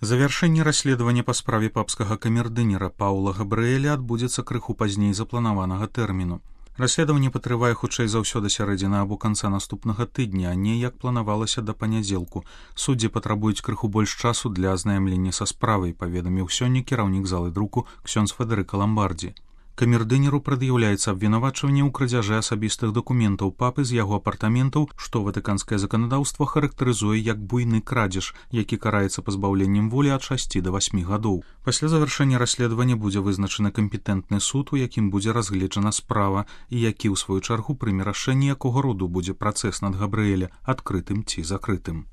Завяршэнне расследавання па справе папскага камердынера Паўла Габрыэля адбудзецца крыху пазней запланаванага тэрміну. Расследаванне патрывае хутчэй за ўсё да сярэдзіны або канца наступнага тыдня, а не як планавалася да панядзелку. Суддзі патрабуюць крыху больш часу для азнаямлення са справай, паведаміў сёння кіраўнік залы друку ксёндз Федэрыка Ламбардзі. Камердынеру прад'яўляецца абвінавачванне ў крадзяжы асабістых дакументаў папы з яго апартаментаў, што ватыканскае заканадаўства характарызуе як буйны крадзеж, які караецца пазбаўленнем волі ад 6 да 8 гадоў. Пасля завяршэння расследавання будзе вызначаны кампетэнтны суд, у якім будзе разгледжана справа і які ў сваю чаргу прыме рашэнне, якога роду будзе працэс над Габрыэля, адкрытым ці закрытым.